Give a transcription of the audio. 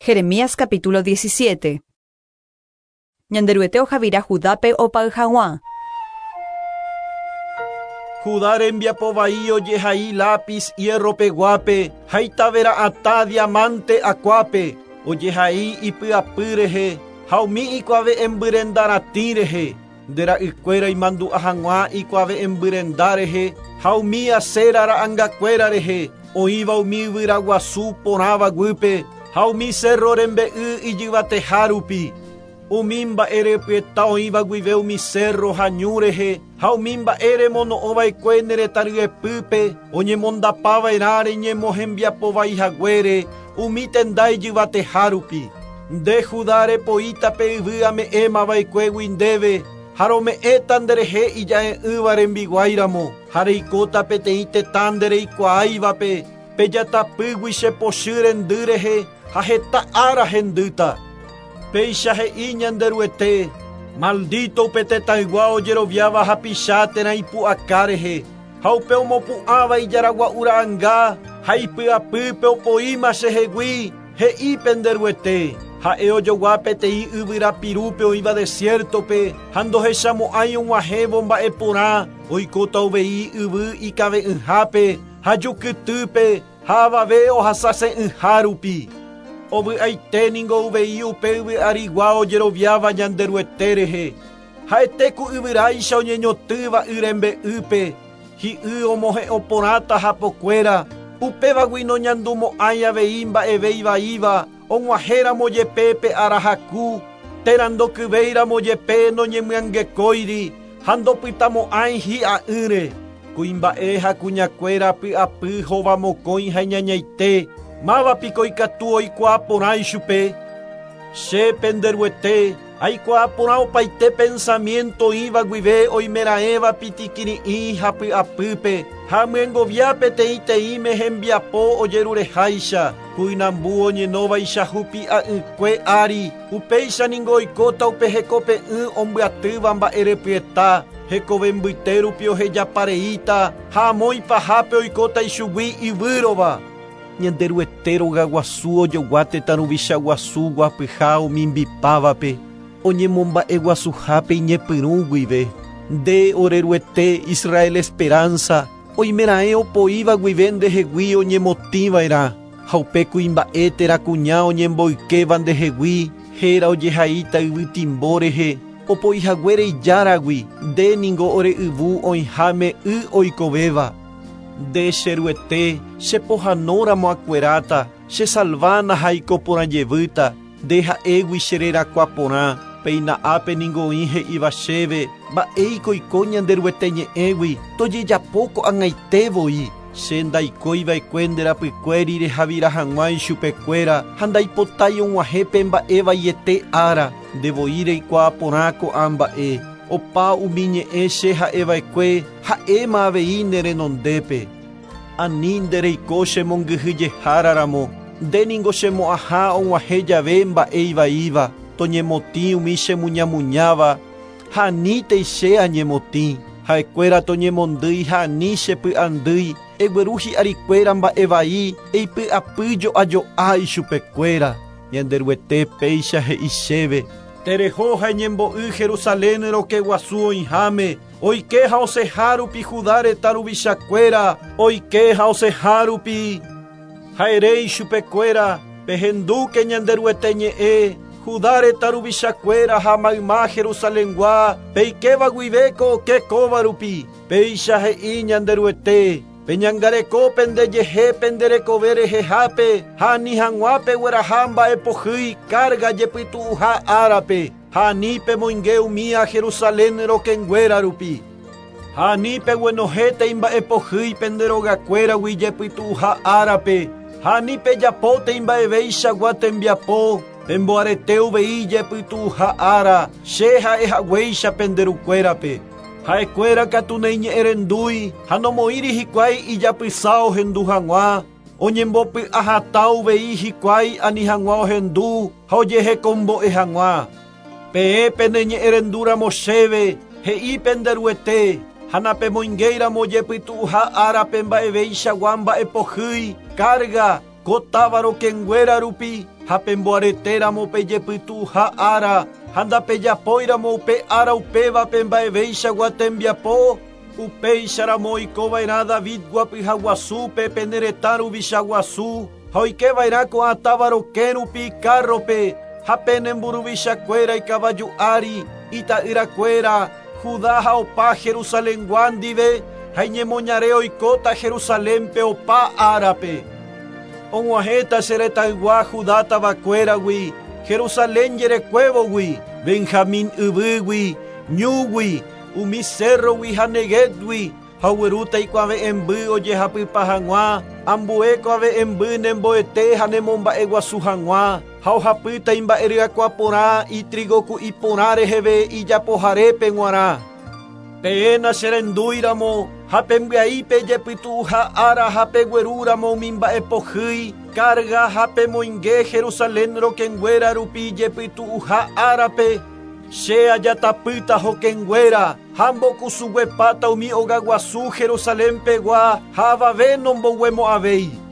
Jeremías capítulo 17. Ñanderuete ohavira Judápe opay hag̃ua. Judá rembiapo vai ojehai lápiz hierro peguápe ha itavera'atã diamante akuápe, ojehai ipy'apy rehe ha umi ikuave'ẽmby renda ratĩ rehe, nde ra'ykuéra imandu'a hag̃ua ikuave'ẽmby renda rehe ha umi Asera ra'angakuéra rehe, oĩva umi yvyra guasu porãva guýpe ha umi cerro rembe'y ijyvateha rupi. Umi mba'e repyeta oĩva guive umi cerro ha ñu rehe ha umi mba'e remono'õva'ekue ne retã ryepýpe oñemondapava'erã reñemohembiapo vai haguére umi tenda ijyvateha rupi. Nde Judá repoíta pe yvy ame'ẽmava'ekuégui ndéve ha rome'ẽta nderehe ija'e'ỹva rembiguáiramo ha reikóta peteĩ tetã ndereikuaáivape pejatapýgui che pochy rendy rehe ha heta ára hendýta. Péicha he'i Ñanderuete, maldito upe tetãygua ojeroviáva hapicha térã ipu'aka rehe, ha upe omopu'ãva ijaragua'u ra'anga ha ipy'apýpe opoíma chehegui, he'i penderuete. Ha'e ojogua peteĩ yvyra pirúpe oĩva desierto-pe ha ndohechamo'ãi og̃uahẽvo mba'e porã oikóta uvei yvy ikave'ỹhápe ha jukytýpe ha avave ohasase'ỹha rupi. Ovy'aite ningo uvei upe yvy'arigua ojeroviáva Ñanderuete rehe. Ha'ete ku yvyráicha oñeñotỹva y rembe'ýpe, hi'y omohe'õ porãta hapokuéra, upévagui noñandumo'ãi avei mba'eve ivaíva og̃uahẽramo jepe pe ára haku, térã ndokyvéiramo jepe noñemyangekóiri ha ndopytamo'ãi hi'a'ỹre. Kuimba'e ha kuñakuéra py'apy hovamokõi ha iñañaite, máva piko ikatu oikuaa porã ichupe. Che penderuete, aikuaa porã opaite pensamiento oĩva guive oimeraẽva pitikiri'ĩ ha py'apýpe ha amyengovia peteĩteĩme hembiapo ojerureháicha, kuinambu oñenóvaicha hupi'a'ỹkue ári, upéicha ningo oikóta upe hekope'ỹ ombyatýva mba'erepyeta, hekove mbyte rupi ohejapareíta ha amo ipahápe oikóta ichugui yvýrova. Ñanderuete rogaguasu ojogua tetã ruvicha guasu guapyha omimbipávape, oñemomba'eguasuhápe iñepyrũ guive. Nde oreruete Israel esperanza, oimeraẽ opoíva guive ndehegui oñemotĩva'erã, ha upe kuimba'e térã kuña oñemboykéva ndehegui, héra ojehaíta yvytimbo rehe, opoihaguére ijáragui, nde ningo ore yvu oĩháme y oikovéva. Nde cheruete, chepohãnóramo akueráta, chesalvána ha aiko porã jevýta, nde ha'égui che rerakuã porã, péina ápe ningo oĩ he'íva chéve, mba'éiko oiko Ñanderuete ñe'ẽgui, tojejapo ko'ag̃aite voi. Che ndaikóiva'ekue nde rapykuéri rehavira hag̃ua ichupekuéra ha ndaipotái og̃uahẽ pe mba'e vaiete ára, nde voi reikuaa porã ko'ã mba'e. Opa umi ñe'ẽ che ha'eva'ekue ha'éma avei ne renondépe. Ani nde reiko chemongyhyjeháraramo, nde ningo chemo'ãha og̃uahẽ jave mba'e ivaíva, toñemotĩ umi chemuñamuñáva, ha anítei che añemotĩ. Ha'ekuéra toñemondýi ha ani chepy'andýi, egueru hi'arikuéra mba'e vai, eipy'apy jo'ajo'a ichupekuéra. Ñanderuete péicha he'i chéve, tereho ha eñembo'y Jerusalén rokẽ guasu oĩháme, oike ha osẽha rupi Judá retã ruvichakuéra, oike ha osẽha rupi. Ha ere ichupekuéra, pehendúke Ñanderuete ñe'ẽ, Judá retã ruvichakuéra ha mayma Jerusalengua, peikéva guive ko okẽ kóva rupi, péicha he'i Ñanderuete, peñangareko pendejehe penderekove rehehápe ha ani hag̃ua pegueraha mba'epohýi carga jepytu'uha árape, ha ani pemoinge umía Jerusalén rokẽnguéra rupi. Ha ani peguenohẽta imba'epohýi pende rogakuéragui jepytu'uha árape, ha ani pejapóta imba'eveichagua tembiapo, pemboarete uvei jepytu'uha ára, che ha'ehaguéicha penderukuérape. Ha'ekuéra katu naiñe'ẽrendúi ha nomoĩri hikuái ijapysa ohendu hag̃ua, oñembopy'ahatã uvei hikuái ani hag̃ua ohendu ha ojehekombo'e hag̃ua. Peẽ peneñe'ẽrendúramo chéve, he'i penderuete, ha napemoingéiramo jepytu'uha árape mba'eveichagua mba'epohýi, carga, ko táva rokẽnguéra rupi, Ha pemboaretéramo pe jepytu'uha ára, ha ndapejapóiramo upe ára upévape mba'eveichagua tembiapo, upéicharamo oikova'erã David guapyha guasúpe pene retã ruvicha guasu, ha oikeva'erã ko'ã táva rokẽ rupi kárrope, ha pene mburuvichakuéra ikavaju ári, ita'yrakuéra, Judá ha opa Jerusalengua ndive, ha iñemoñare oikóta Jerusalénpe opa árape. Og̃uahẽta che retãygua Judá tavakuéragui, Jerusalén jerekuévogui, Benjamín yvýgui, ñúgui, umi cérrogui ha Neguébgui, ha oguerúta ikuave'ẽmby ojehapypa hag̃ua, ambue kuave'ẽmby nemboete ha nemomba'eguasu hag̃ua, ha ohapýta imba'eryakuã porã itrigoku'i porã reheve ijapoharépe g̃uarã. Peẽ nacherendúiramo ha pembyai pejepytu'uha ára ha peguerúramo umi mba'epohýi, carga ha pemoinge Jerusalén rokẽnguéra rupi jepytu'uha árape, che ajatapýta hokẽnguéra ha mbokusuguepáta umi ogaguasu Jerusalén pegua ha avave nomboguemo'ãvéi.